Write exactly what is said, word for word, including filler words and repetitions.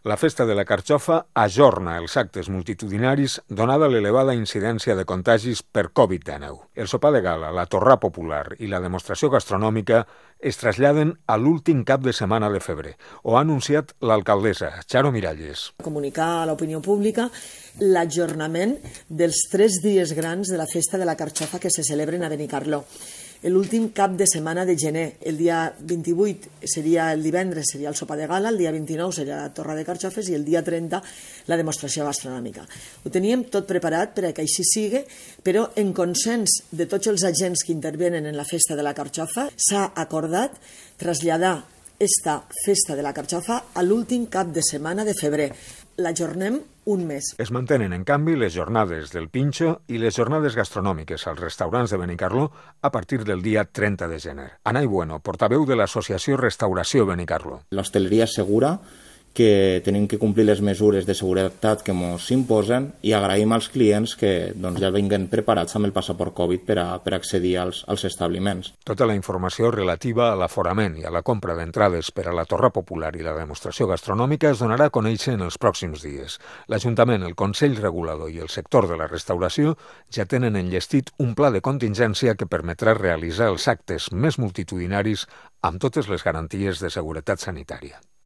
La Festa de la Carxofa ajorna els actes multitudinaris donada l'elevada incidència de contagis per covid dinou. El sopar de gala, la torra popular i la demostració gastronòmica es traslladen a l'últim cap de setmana de febrer. Ho ha anunciat l'alcaldessa, Charo Miralles. Comunicar a l'opinió pública l'ajornament dels tres dies grans de la Festa de la Carxofa que se celebren a Benicarló. L'últim cap de setmana de gener, el dia vint-i-vuit seria el divendres, seria el sopar de gala, el dia vint-i-nou seria la torra de carxofes i el dia trenta la demostració gastronòmica. Ho teníem tot preparat per a que així sigui, però en consens de tots els agents que intervenen en la Festa de la Carxofa s'ha acordat traslladar esta Festa de la Carxofa a l'últim cap de setmana de febrer. L'ajornem un mes. Es mantenen, en canvi, les jornades del Pinxo i les jornades gastronòmiques als restaurants de Benicarló a partir del dia trenta de gener. Anay Bueno, portaveu de l'associació Restauració Benicarló. L'hostaleria assegura que tenim que complir les mesures de seguretat que ens imposen i agraïm als clients que doncs, ja vinguen preparats amb el passaport Covid per a, per accedir als, als establiments. Tota la informació relativa a l'aforament i a la compra d'entrades per a la torra popular i la demostració gastronòmica es donarà a conèixer en els pròxims dies. L'Ajuntament, el Consell Regulador i el sector de la restauració ja tenen enllestit un pla de contingència que permetrà realitzar els actes més multitudinaris amb totes les garanties de seguretat sanitària.